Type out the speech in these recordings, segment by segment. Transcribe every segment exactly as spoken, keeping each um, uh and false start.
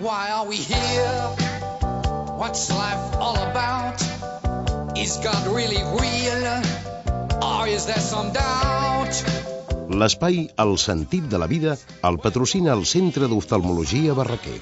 why are we here? What's life all about? Is God really real? Or is there some doubt? L'espai El sentit de la vida el patrocina el Centre d'Oftalmologia Barraquer.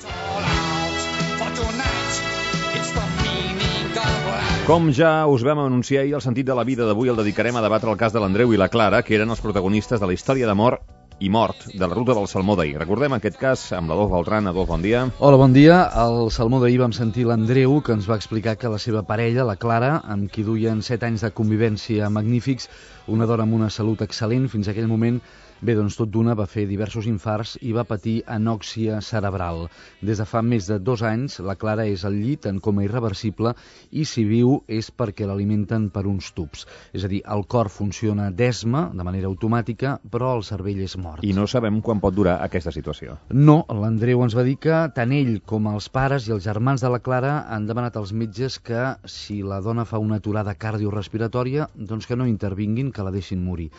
Com ja us vam anunciar ahir, el sentit de la vida d'avui el dedicarem a debatre el cas de l'Andreu i la Clara, que eren els protagonistes de la història d'amor i mort de la ruta del Salmó d'ahir. Recordem aquest cas amb l'Adolf Beltran. Adolf, bon dia. Hola, bon dia. Al Salmó d'ahir vam sentir l'Andreu, que ens va explicar que la seva parella, la Clara, amb qui duien set anys de convivència magnífics, una dona amb una salut excel·lent fins a aquell moment, bé, doncs tot d'una va fer diversos infarts i va patir anòxia cerebral. Des de fa més de dos anys, la Clara és al llit en coma irreversible i si viu és perquè l'alimenten per uns tubs. És a dir, el cor funciona d'esma, de manera automàtica, però el cervell és mort. I no sabem quan pot durar aquesta situació. No, l'Andreu ens va dir que tant ell com els pares i els germans de la Clara han demanat als metges que si la dona fa una aturada cardiorespiratòria, doncs que no intervinguin, que la deixin morir.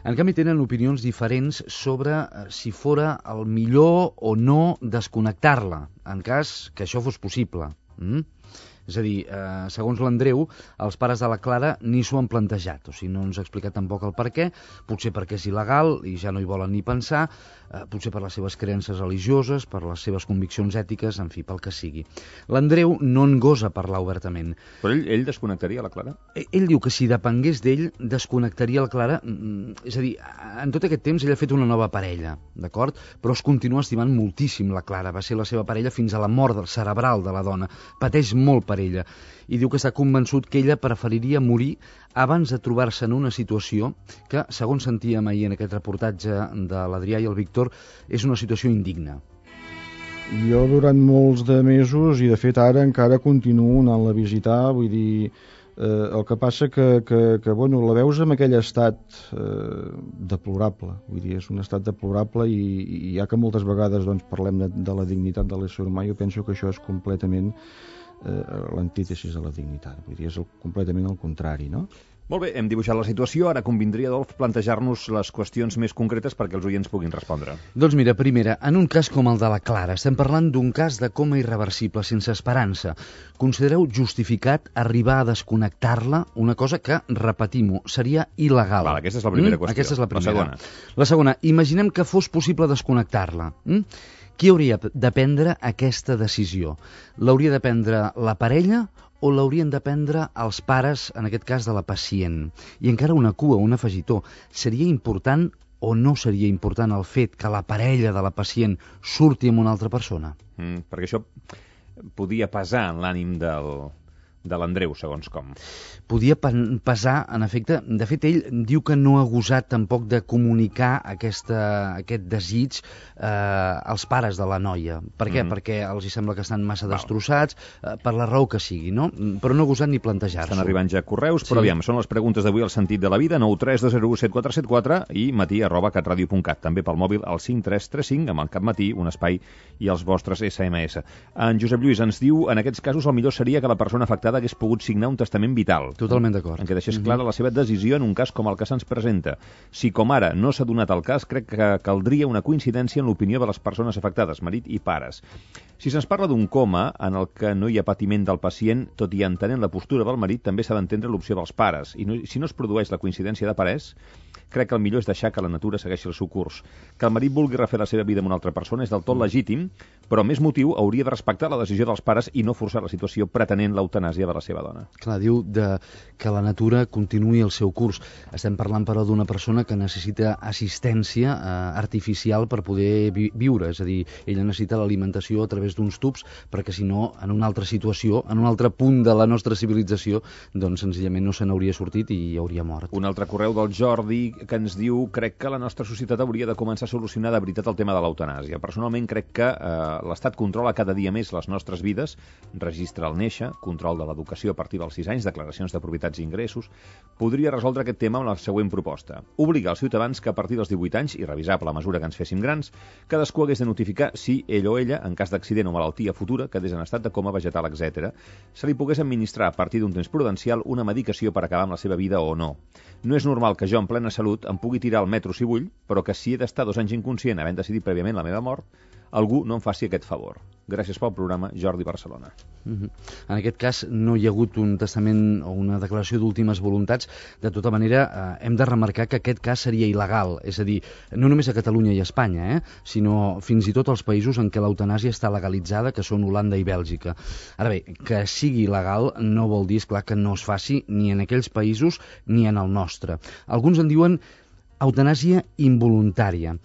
En canvi, tenen opinions diferents sobre si fora el millor o no desconnectar-la, en cas que això fos possible. Mm? És a dir, eh, segons l'Andreu, els pares de la Clara ni s'ho han plantejat, o sigui, no ens ha explicat tampoc el per què, potser perquè és il·legal i ja no hi volen ni pensar, eh, potser per les seves creences religioses, per les seves conviccions ètiques, en fi, pel que sigui. L'Andreu no en gosa parlar obertament. Però ell, ell desconnectaria la Clara? Ell, ell diu que si depengués d'ell, desconnectaria la Clara, mm, és a dir, en tot aquest temps ell ha fet una nova parella, d'acord? Però es continua estimant moltíssim la Clara, va ser la seva parella fins a la mort del cerebral de la dona, pateix molt per ella, i diu que està convençut que ella preferiria morir abans de trobar-se en una situació que, segons sentíem ahir en aquest reportatge de l'Adrià i el Víctor, és una situació indigna. Jo durant molts de mesos, i de fet ara encara continuo anant-la a visitar, vull dir, eh, el que passa que, que, que bueno, la veus en aquell estat eh, deplorable, vull dir, és un estat deplorable i, i ja que moltes vegades doncs, parlem de, de la dignitat de l'ésser humà, jo penso que això és completament Eh, l'antítesis de la dignitat, vull dir, és el, completament el contrari, no? Molt bé, hem dibuixat la situació, ara convindria, Adolf, plantejar-nos les qüestions més concretes perquè els oients puguin respondre. Doncs mira, primera, en un cas com el de la Clara, estem parlant d'un cas de coma irreversible, sense esperança. Considereu justificat arribar a desconnectar-la, una cosa que, repetim-ho, seria il·legal. Val, aquesta és la primera mm? qüestió. Aquesta és la primera. La segona. La segona, imaginem que fos possible desconnectar-la. Mm? Qui hauria de prendre aquesta decisió? L'hauria de prendre la parella o l'haurien de prendre els pares, en aquest cas de la pacient? I encara una cua, un afegitó. Seria important o no seria important el fet que la parella de la pacient surti amb una altra persona? Mm, perquè això podia pesar en l'ànim del... de l'Andreu, segons com. Podia pesar, en efecte. De fet, ell diu que no ha gosat tampoc de comunicar aquesta, aquest desig eh, als pares de la noia. Per què? Mm-hmm. Perquè els hi sembla que estan massa Val. destrossats, eh, per la raó que sigui, no? Però no ha gosat ni plantejar-s'ho. Estan arribant ja correus, però sí. Aviam, són les preguntes d'avui al sentit de la vida, nou tres dos zero u set quatre set quatre i matí arroba catradio punt cat. També pel mòbil al cinc tres tres cinc, amb el cap matí, un espai i els vostres esse eme esse. En Josep Lluís ens diu, en aquests casos el millor seria que la persona afectada hagués pogut signar un testament vital. Totalment d'acord. En què deixés clara la seva decisió en un cas com el que se'ns presenta. Si com ara no s'ha donat el cas, crec que caldria una coincidència en l'opinió de les persones afectades, marit i pares. Si se'ns parla d'un coma en el que no hi ha patiment del pacient, tot i entenent la postura del marit, també s'ha d'entendre l'opció dels pares. I no, si no es produeix la coincidència de parers, crec que el millor és deixar que la natura segueixi el seu curs. Que el marit vulgui refer la seva vida amb una altra persona és del tot legítim, però més motiu hauria de respectar la decisió dels pares i no forçar la situació pretenent l'eutanàsia de la seva dona. Clar, diu de que la natura continuï el seu curs. Estem parlant, però, d'una persona que necessita assistència eh, artificial per poder vi viure, és a dir, ella necessita l'alimentació a través d'uns tubs, perquè si no, en una altra situació, en un altre punt de la nostra civilització, doncs senzillament no se n'hauria sortit i hauria mort. Un altre correu del Jordi que ens diu, crec que la nostra societat hauria de començar a solucionar de veritat el tema de l'eutanàsia. Personalment crec que eh, l'Estat controla cada dia més les nostres vides, registra el néixer, control de l'educació a partir dels sis anys, declaracions de propietats i ingressos. Podria resoldre aquest tema amb la següent proposta. Obligar els ciutadans que a partir dels divuit anys, i revisable a mesura que ens féssim grans, cadascú hagués de notificar si ell o ella, en cas d'accident o malaltia futura, quedés en estat de coma vegetal, etcètera, se li pogués administrar a partir d'un temps prudencial una medicació per acabar amb la seva vida o no. No és normal que jo, en plena salut, em pugui tirar al metro si vull, però que si he d'estar dos anys inconscient havent decidit prèviament la meva mort, algú no em faci aquest favor. Gràcies pel programa, Jordi Barcelona. Mm-hmm. En aquest cas no hi ha hagut un testament o una declaració d'últimes voluntats. De tota manera, eh, hem de remarcar que aquest cas seria il·legal, és a dir, no només a Catalunya i a Espanya, eh, sinó fins i tot als països en què l'eutanàsia està legalitzada, que són Holanda i Bèlgica. Ara bé, que sigui il·legal no vol dir, esclar, que no es faci ni en aquells països ni en el nostre. Alguns en diuen eutanàsia involuntària.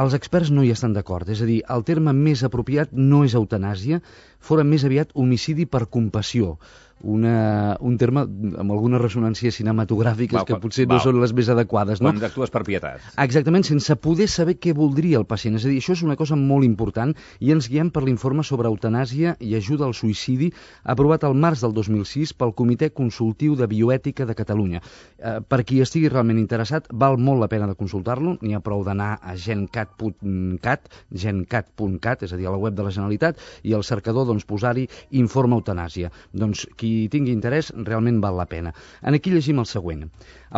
Els experts no hi estan d'acord, és a dir, el terme més apropiat no és eutanàsia, fora més aviat homicidi per compassió, una, un terme amb algunes ressonàncies cinematogràfiques val, que potser val. no són les més adequades. No? Quan actues per pietat. Exactament, sense poder saber què voldria el pacient. És a dir, això és una cosa molt important i ens guiem per l'informe sobre eutanàsia i ajuda al suïcidi aprovat al març del dos mil sis pel Comitè Consultiu de Bioètica de Catalunya. Eh, per qui estigui realment interessat, val molt la pena de consultar-lo, n'hi ha prou d'anar a gencat punt cat, gencat punt cat, és a dir, a la web de la Generalitat, i al cercador doncs, posar-hi informe eutanàsia. Doncs qui tingui interès realment val la pena. En aquí llegim el següent.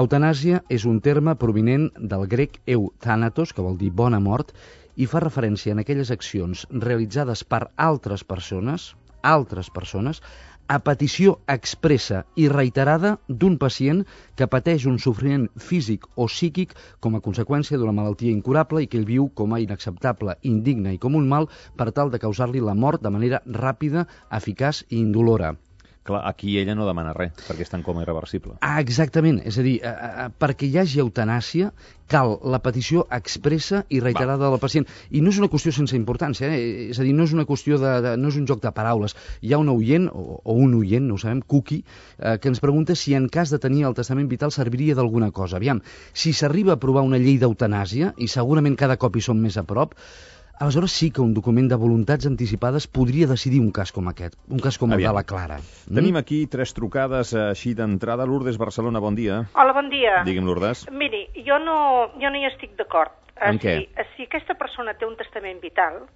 Eutanàsia és un terme provinent del grec euthanatos, que vol dir bona mort, i fa referència a aquelles accions realitzades per altres persones, altres persones, a petició expressa i reiterada d'un pacient que pateix un sofriment físic o psíquic com a conseqüència d'una malaltia incurable i que ell viu com a inacceptable, indigne i com un mal per tal de causar-li la mort de manera ràpida, eficaç i indolora. Clar, aquí ella no demana res, perquè està en coma irreversible. Ah, exactament. És a dir, eh, eh, perquè hi hagi eutanàsia, cal la petició expressa i reiterada Va. del pacient. I no és una qüestió sense importància, eh? És a dir, no és una qüestió de, de... no és un joc de paraules. Hi ha un oient, o, o un oient, no ho sabem, Cookie, eh, que ens pregunta si en cas de tenir el testament vital serviria d'alguna cosa. Aviam, si s'arriba a aprovar una llei d'eutanàsia, i segurament cada cop hi som més a prop, aleshores sí que un document de voluntats anticipades podria decidir un cas com aquest, un cas com el Aviam. de la Clara. Mm? Tenim aquí tres trucades així d'entrada. Lourdes, Barcelona, bon dia. Hola, bon dia. Digui'm, Lourdes. Miri, jo no, jo no hi estic d'acord. En si, què? Si aquesta persona té un testament vital,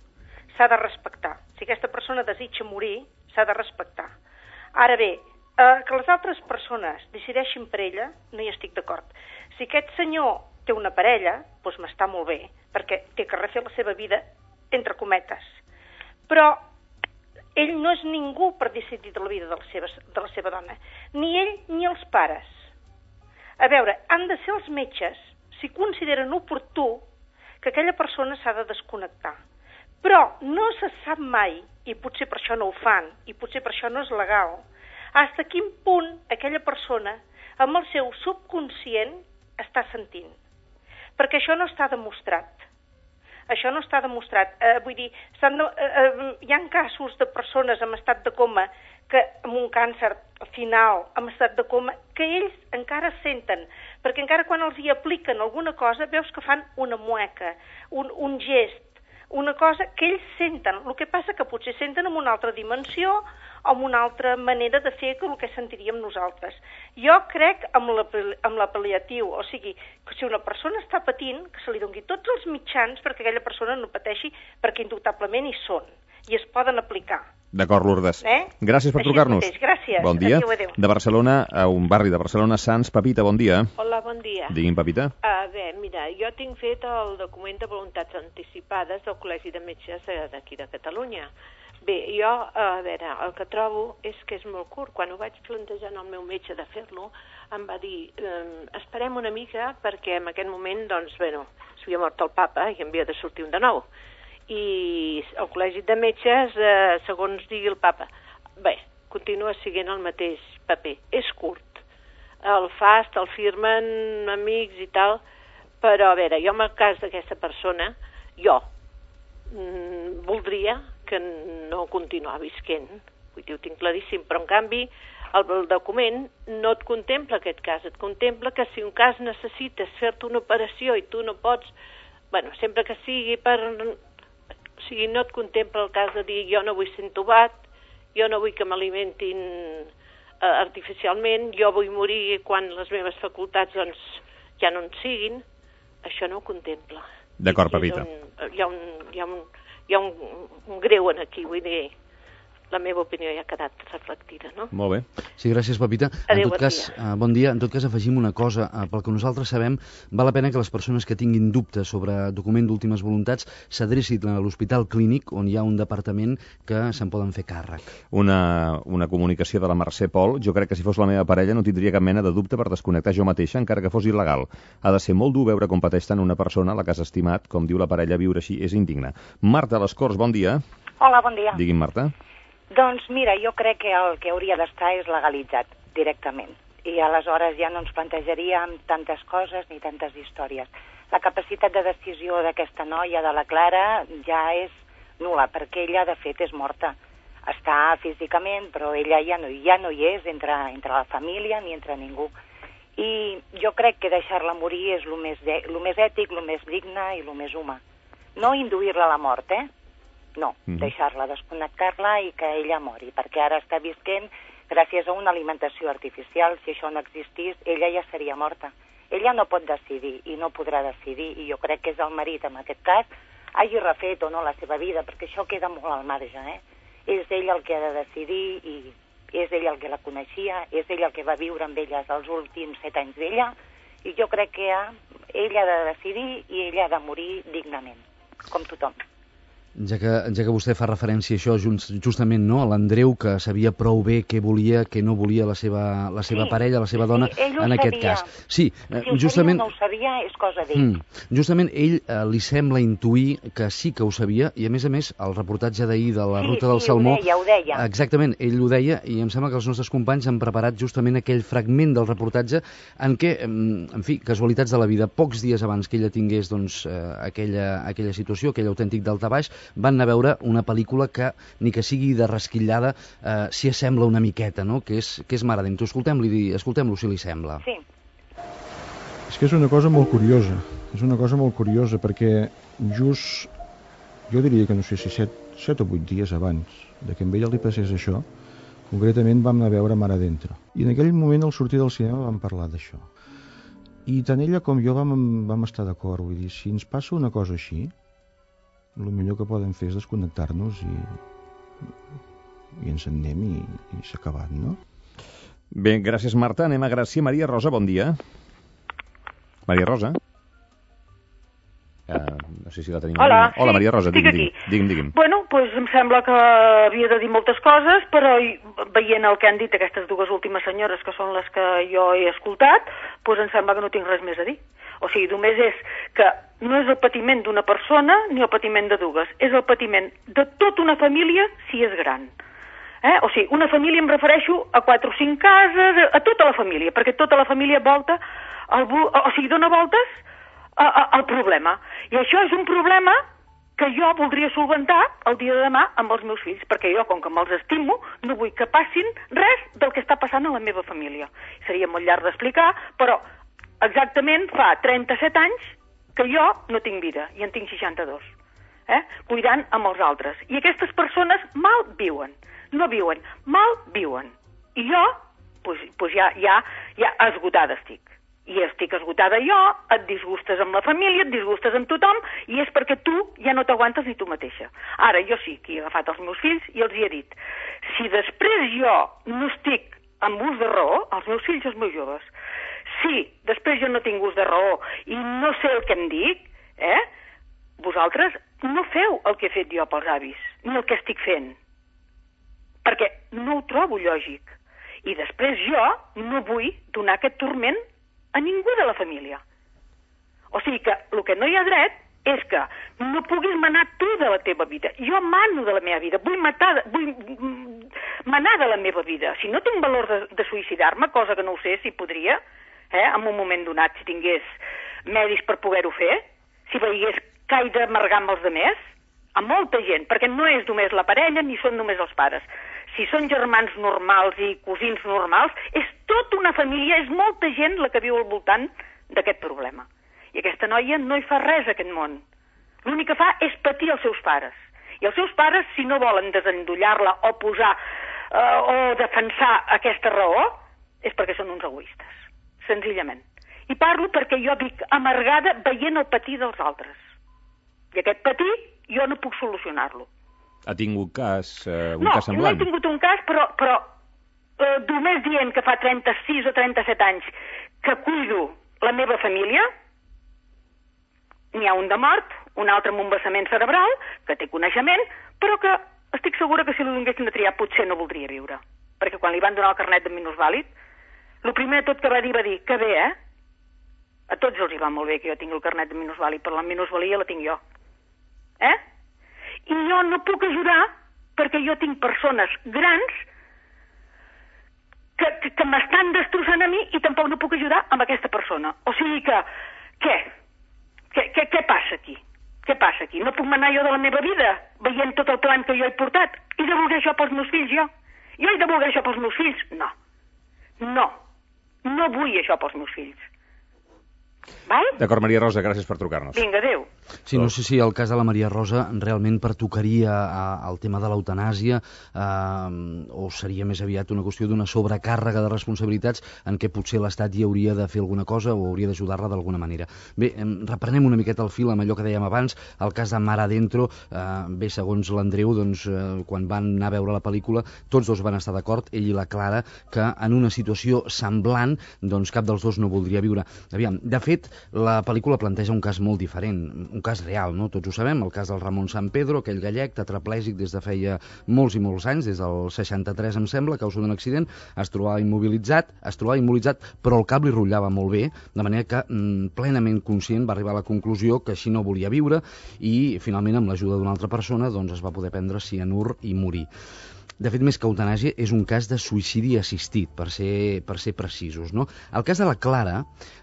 s'ha de respectar. Si aquesta persona desitja morir, s'ha de respectar. Ara bé, eh, que les altres persones decideixin per ella, no hi estic d'acord. Si aquest senyor té una parella, doncs m'està molt bé, perquè té que refer la seva vida, entre cometes. Però ell no és ningú per decidir de la vida de la seva, de la seva dona. Ni ell ni els pares. A veure, han de ser els metges si consideren oportú que aquella persona s'ha de desconnectar. Però no se sap mai, i potser per això no ho fan, i potser per això no és legal, fins a quin punt aquella persona, amb el seu subconscient, està sentint. Perquè això no està demostrat. Això no està demostrat. Eh, vull dir, de, eh, eh, hi ha casos de persones en estat de coma, que amb un càncer final, en estat de coma, que ells encara senten, perquè encara quan els hi apliquen alguna cosa, veus que fan una mueca, un, un gest, una cosa que ells senten. El que passa que potser senten en una altra dimensió o en una altra manera de fer que el que sentiríem nosaltres. Jo crec amb la, amb la pal·liatiu, o sigui, que si una persona està patint, que se li doni tots els mitjans perquè aquella persona no pateixi, perquè indubtablement hi són, i es poden aplicar. D'acord, Lourdes. Eh? Gràcies per trucar-nos. Gràcies. Bon dia. Adéu, adéu. De Barcelona, a un barri de Barcelona, Sants. Pepita, bon dia. Hola, bon dia. Digui'm, Pepita. A veure, mira, jo tinc fet el document de voluntats anticipades del Col·legi de Metges d'aquí de Catalunya. Bé, jo, a veure, el que trobo és que és molt curt. Quan ho vaig plantejar al meu metge de fer-lo, em va dir, eh, esperem una mica perquè en aquest moment, doncs, bueno, s'havia mort el papa i havia de sortir un de nou. I el Col·legi de Metges, eh, segons digui el papa, bé, continua siguent el mateix paper. És curt. El fast, el firmen amics i tal, però a veure, jo en el cas d'aquesta persona, jo mm, voldria que no continuar visquent. Vull dir, ho tinc claríssim, però en canvi el, el document no et contempla aquest cas, et contempla que si un cas necessites fer-te una operació i tu no pots, bueno, sempre que sigui per... O sigui, no et contempla el cas de dir jo no vull ser entubat, jo no vull que m'alimentin eh, artificialment, jo vull morir quan les meves facultats doncs, ja no en siguin. Això no ho contempla. D'acord, Pepita. Hi ha, un, hi ha, un, hi ha, un, hi ha un, un greu en aquí, vull dir, la meva opinió ja ha quedat reflectida, no? Molt bé. Sí, gràcies, Pepita. Adéu, en tot bon cas, dia. eh, bon dia. En tot cas, afegim una cosa. Eh, pel que nosaltres sabem, val la pena que les persones que tinguin dubtes sobre document d'últimes voluntats s'adrecin a l'Hospital Clínic, on hi ha un departament que se'n poden fer càrrec. Una, una comunicació de la Mercè Pol. Jo crec que si fos la meva parella no tindria cap mena de dubte per desconnectar jo mateixa, encara que fos il·legal. Ha de ser molt dur veure com pateix tant una persona a la que has estimat, com diu la parella, viure així és indigne. Marta, a les Corts, bon dia. Hola, bon dia. Digui'm, Marta. Doncs mira, jo crec que el que hauria d'estar és legalitzat directament. I aleshores ja no ens plantejaríem tantes coses ni tantes històries. La capacitat de decisió d'aquesta noia, de la Clara, ja és nul·la, perquè ella, de fet, és morta. Està físicament, però ella ja no, ja no hi és entre, entre la família ni entre ningú. I jo crec que deixar-la morir és el més, de, el més ètic, el més digne i el més humà. No induir-la a la mort, eh? No, mm. deixar-la, desconnectar-la i que ella mori, perquè ara està visquent gràcies a una alimentació artificial. Si això no existís, ella ja seria morta. Ella no pot decidir i no podrà decidir, i jo crec que és el marit, en aquest cas, hagi refet o no la seva vida, perquè això queda molt al marge, eh? És ell el que ha de decidir i és ell el que la coneixia, és ell el que va viure amb elles els últims set anys d'ella, i jo crec que ha, ella ha de decidir i ella ha de morir dignament, com tothom. Ja que, ja que vostè fa referència a això, just, justament, no?, a l'Andreu, que sabia prou bé què volia, què no volia la seva, la seva sí, parella, la seva dona, sí, ell ho en aquest sabia. cas. Sí, si ho justament... sabia o no ho sabia, és cosa d'ell. Mm, justament ell eh, li sembla intuir que sí que ho sabia, i a més a més, el reportatge d'ahir de la sí, Ruta sí, del Salmó... Sí, ho deia, ho deia. Exactament, ell ho deia, i em sembla que els nostres companys han preparat justament aquell fragment del reportatge en què, en fi, casualitats de la vida, pocs dies abans que ella tingués doncs, eh, aquella, aquella situació, aquell autèntic daltabaix, van anar a veure una pel·lícula que, ni que sigui de resquitllada, eh, s'hi assembla una miqueta, no?, que és, que és Mare d'Ento. Escoltem-lo escoltem si li sembla. Sí. És que és una cosa molt curiosa, és una cosa molt curiosa, perquè just, jo diria que no sé si set, set o vuit dies abans de que amb ella li passés això, concretament vam anar a veure Mare d'Ento. I en aquell moment, al sortir del cinema, vam parlar d'això. I tant ella com jo vam, vam estar d'acord, vull dir, si ens passa una cosa així, el millor que podem fer és desconnectar-nos i, i ens en anem i, i s'ha acabat, no? Bé, gràcies, Marta. Anem a Gràcia. Maria Rosa, bon dia. Maria Rosa. Uh, no sé si la tenim. Hola, Hola, sí, Maria Rosa, estic digui'm, aquí. digui'm, digui'm. Bueno, doncs em sembla que havia de dir moltes coses, però veient el que han dit aquestes dues últimes senyores, que són les que jo he escoltat, doncs em sembla que no tinc res més a dir. O sigui, només és que no és el patiment d'una persona ni el patiment de dues, és el patiment de tota una família si és gran. Eh? O sigui, una família em refereixo a quatre o cinc cases, a tota la família, perquè tota la família volta, el, o sigui, dona voltes a, a, al problema. I això és un problema que jo voldria solventar el dia de demà amb els meus fills, perquè jo, com que me'ls estimo, no vull que passin res del que està passant a la meva família. Seria molt llarg d'explicar, però exactament fa trenta-set anys que jo no tinc vida, i en tinc seixanta-dos, eh? Cuidant amb els altres. I aquestes persones mal viuen, no viuen, mal viuen. I jo, pues, pues ja, ja, ja esgotada estic. I estic esgotada jo, et disgustes amb la família, et disgustes amb tothom, i és perquè tu ja no t'aguantes ni tu mateixa. Ara, jo sí que he agafat els meus fills i els hi he dit, si després jo no estic amb ús de raó, els meus fills i els meus joves, si després jo no tinc ús de raó i no sé el que em dic, eh, vosaltres no feu el que he fet jo pels avis, ni el que estic fent, perquè no ho trobo lògic. I després jo no vull donar aquest turment a ningú de la família. O sigui que el que no hi ha dret és que no puguis manar tu de la teva vida. Jo mano de la meva vida, vull matar, vull manar de la meva vida. Si no tinc valor de, de suïcidar-me, cosa que no ho sé si podria, eh, en un moment donat, si tingués medis per poder-ho fer, si veiés que he d'amargar amb els demés, a molta gent, perquè no és només la parella ni són només els pares. Si són germans normals i cosins normals, és tota una família, és molta gent la que viu al voltant d'aquest problema. I aquesta noia no hi fa res a aquest món. L'únic que fa és patir els seus pares. I els seus pares, si no volen desendollar-la o posar eh, o defensar aquesta raó, és perquè són uns egoistes, senzillament. I parlo perquè jo vic amargada veient el patir dels altres. I aquest patir jo no puc solucionar-lo. Ha tingut cas, eh, un no, cas semblant? No, no he tingut un cas, però, però eh, només dient que fa trenta-sis o trenta-set anys que cuido la meva família, n'hi ha un de mort, un altre amb un vessament cerebral, que té coneixement, però que estic segura que si li donguessin de triar potser no voldria viure. Perquè quan li van donar el carnet de minusvàlid, el primer de tot que va dir va dir, que bé, eh? A tots els hi va molt bé que jo tingui el carnet de minusvàlid, però la minusvalia la tinc jo. Eh? I jo no puc ajudar perquè jo tinc persones grans que, que, que m'estan destrossant a mi i tampoc no puc ajudar amb aquesta persona. O sigui que, què? Què, què, què passa aquí? Què passa aquí? No puc manar jo de la meva vida veient tot el plan que jo he portat i de voler això pels meus fills, jo? Jo he de voler això pels meus fills? No. No. No vull això pels meus fills. Val? D'acord, Maria Rosa, gràcies per trucar-nos. Vinga, adéu. Sí, no sé si el cas de la Maria Rosa realment pertocaria al tema de l'eutanàsia eh, o seria més aviat una qüestió d'una sobrecàrrega de responsabilitats en què potser l'Estat hi hauria de fer alguna cosa o hauria d'ajudar-la d'alguna manera. Bé, eh, reprenem una miqueta el fil amb allò que dèiem abans, el cas de Mar Adentro, eh, bé, segons l'Andreu, doncs, eh, quan van anar a veure la pel·lícula, tots dos van estar d'acord, ell i la Clara, que en una situació semblant, doncs cap dels dos no voldria viure. Aviam, de fet, la pel·lícula planteja un cas molt diferent, un cas real, no? Tots ho sabem, el cas del Ramon San Pedro, aquell gallec tetraplègic des de feia molts i molts anys, des del seixanta-tres, em sembla, a causa d'un accident, es trobava immobilitzat, es trobava immobilitzat, però el cap li rotllava molt bé, de manera que mm, plenament conscient va arribar a la conclusió que així no volia viure i finalment amb l'ajuda d'una altra persona doncs es va poder prendre cianur i morir. De fet, més que eutanàsia, és un cas de suïcidi assistit, per ser, per ser precisos, no? El cas de la Clara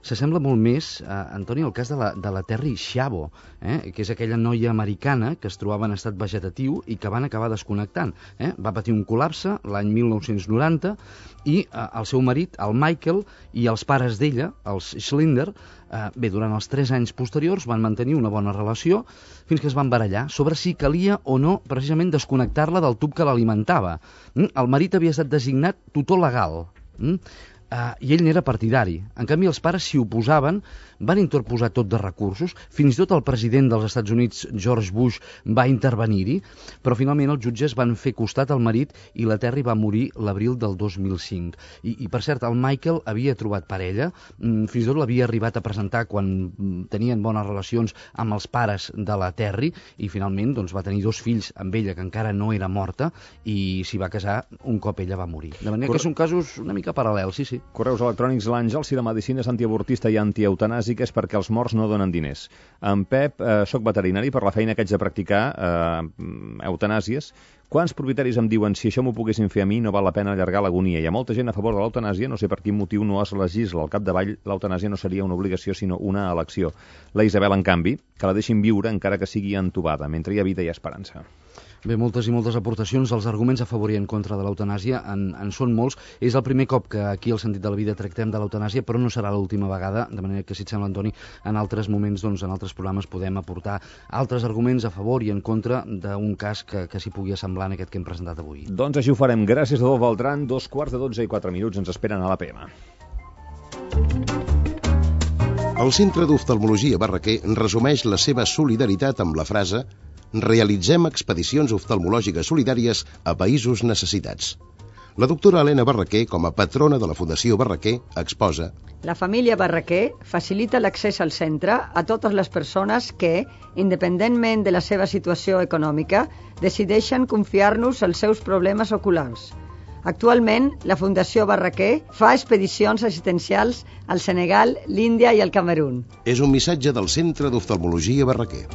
s'assembla molt més, eh, Antoni, al cas de la, de la Terry Schiavo, eh, que és aquella noia americana que es trobava en estat vegetatiu i que van acabar desconnectant. Eh? Va patir un col·lapse l'any mil nou-cents noranta i eh, el seu marit, el Michael, i els pares d'ella, els Schlinder, eh, bé, durant els tres anys posteriors van mantenir una bona relació fins que es van barallar sobre si calia o no precisament desconnectar-la del tub que l'alimentava. Mm? El marit havia estat designat tutor legal. Mm? Uh, i ell n'era partidari. En canvi, els pares s'hi oposaven, van interposar tot de recursos, fins i tot el president dels Estats Units, George Bush, va intervenir-hi, però finalment els jutges van fer costat al marit i la Terry va morir l'abril del dos mil cinc. I, I, per cert, el Michael havia trobat parella, fins i tot l'havia arribat a presentar quan tenien bones relacions amb els pares de la Terry, i finalment doncs, va tenir dos fills amb ella, que encara no era morta, i s'hi va casar un cop ella va morir. De manera Cor... que són casos una mica paral·lels, sí, sí. Correus electrònics, l'Àngel, si la medicina és antiavortista i antieutanàsica és perquè els morts no donen diners. En Pep, eh, soc veterinari, per la feina que haig de practicar eh, eutanàsies. Quants propietaris em diuen si això m'ho poguessin fer a mi no val la pena allargar l'agonia? Hi ha molta gent a favor de l'eutanàsia, no sé per quin motiu no es legisla. Al capdavall, l'eutanàsia no seria una obligació, sinó una elecció. La Isabel, en canvi, que la deixin viure encara que sigui entubada. Mentre hi ha vida hi ha esperança. Bé, moltes i moltes aportacions. Els arguments a favor i en contra de l'eutanàsia en, en són molts. És el primer cop que aquí al Sentit de la Vida tractem de l'eutanàsia, però no serà l'última vegada, de manera que, si et sembla, Antoni, en altres moments, doncs, en altres programes podem aportar altres arguments a favor i en contra d'un cas que, que s'hi pugui assemblar en aquest que hem presentat avui. Doncs així ho farem. Gràcies a Adolf Beltran. Dos quarts de dotze i quatre minuts ens esperen a l'A P M. El Centre d'Oftalmologia Barraquer resumeix la seva solidaritat amb la frase: realitzem expedicions oftalmològiques solidàries a països necessitats. La doctora Helena Barraquer, com a patrona de la Fundació Barraquer, exposa: la família Barraquer facilita l'accés al centre a totes les persones que, independentment de la seva situació econòmica, decideixen confiar-nos els seus problemes oculars. Actualment, la Fundació Barraquer fa expedicions assistencials al Senegal, l'Índia i el Camerun. És un missatge del Centre d'Oftalmologia Barraquer.